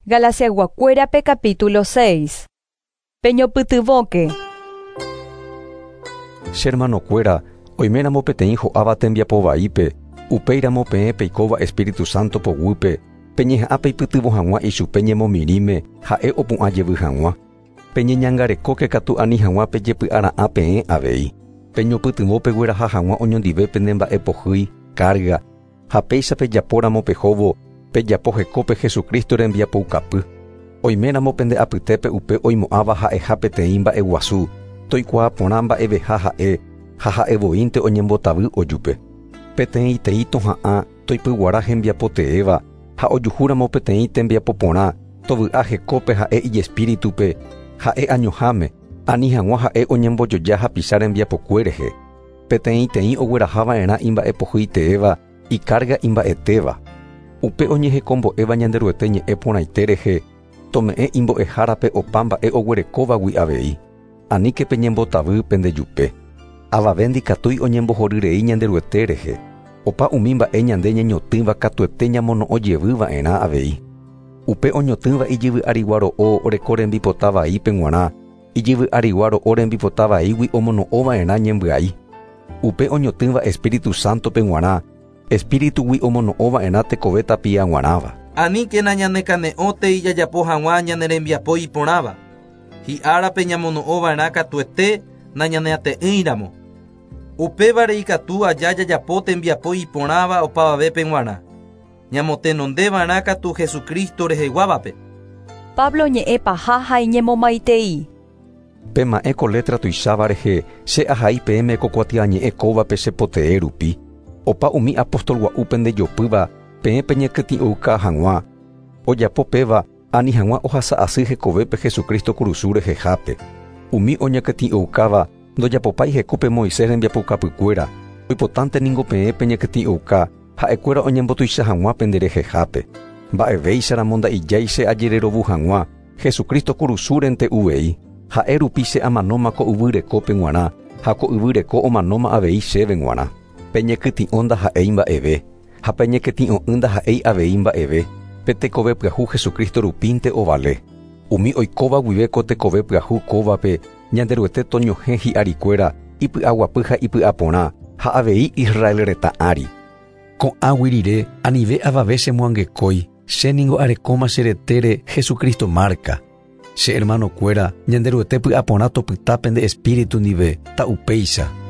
Galatiayguakuérape capítulo 6. Peñopytyvõke. Che hermanokuéra, oiméramo peteĩ ho'áva tembiapo vaípe, upéiramo peẽ peikóva Espíritu Santo poguýpe, peñeha'ã peipytyvõ hag̃ua ichupe ñemomirĩme ha'e opu'ã jevy hag̃ua. Peñeñangarekóke katu ani hag̃ua pejepy'ara'ã peẽ avei. Peñopytyvõ pegueraha hag̃ua oñondive pene mba'e pohýi, carga, ha péicha pejapóramo pehóvo, pejapo hekópe Jesucristo rembiapoukapy. Oiméramo pende apytépe upe oimo'ãva ha'eha peteĩ mba'eguasu, toikuaa porã mba'eveha ha'e ha ha'evoínte oñembotavy ojupe. Peteĩteĩ toha'ã toipyguara hembiapo teéva ha ojuhúramo peteĩ tembiapo porã tovy'a hekópe ha'e ijespíritupe, ha'e añoháme, ani hag̃ua ha'e oñembojoja hapicha rembiapokue rehe. Peteĩteĩ oguerahava'erã imba'epohýi teéva icarga imba'etéva. Upe oñehekombo'éva Ñanderuete ñe'ẽ porãite rehe, tome'ẽ imbo'ehárape opa mba'e oguerekóvagui avei. Aníke peñembotavy pendejupe. Avave ndikatúi oñembohoryrei Ñanderuete rehe. Opa umi mba'e ñande ñañotỹva katuete ñamono'õ jevyva'erã avei. Upe oñotỹva ijyvy'arigua ro'o oreko rembipota vaípe g̃uarã, ijyvy'arigua ro'o rembipota vaígui omono'õva'erã ñembyai. Upe oñotỹva Espíritu Santo-pe g̃uarã, Espíritugui omono'õva'erã tekove tapia g̃uarãva. Aníkena ñanekane'õtei jajapo hag̃ua ñane rembiapo iporãva. Hi'árape ñamono'õva'erã katuete nañaneate'ỹiramo. Upévare ikatu aja jajapo tembiapo iporãva opavavépe g̃uarã. Ñamotenondeva'erã katu Jesucristo reheguávape. Pablo ñe'ẽ paha ha iñemomaitei. Pema'ẽ ko letra tuicháva rehe che ahai peẽme ko kuatiañe'ẽ kóvape che potee rupi. Opa umi apóstol gua'u pendejopýva peẽ peñekytĩ'ouka hag̃ua. Ojapo péva ani hag̃ua ohasa asy hekovépe Jesucristo kurusu rehehápe. Umi oñekytĩ'oukáva ndojapopái hekópe Moisés rembiapoukapykuéra, oipotánte ningo peẽ peñekytĩ'ouka ha'ekuéra oñembotuicha hag̃ua penderehehápe. Mba'evéicharamo nda'ijái che ajererovu hag̃ua Jesucristo kurusúrente uvei. Ha'e rupi che amanóma ko yvy rekópe g̃uarã ha ko yvy reko omanóma avei chéve g̃uarã. Peñekytĩ'o ndaha'éi mba'eve, ha peñekytĩ'o'ỹ ndaha'éi avei mba'eve, pe tekove pyahu Jesucristo rupínte ovale. Umi oikóva guive ko tekove pyahu kóvape Ñanderuete toñohẽ hi'arikuéra ipy'aguapy ha ipy'aporã ha avei Israel retã ári. Ko'ãgui rire anive avave chemoangekói, che ningo arekóma che retére Jesucristo márka. Che hermanokuéra, Ñanderuete py'aporã topyta pende espíritu ndive, ta'upéicha.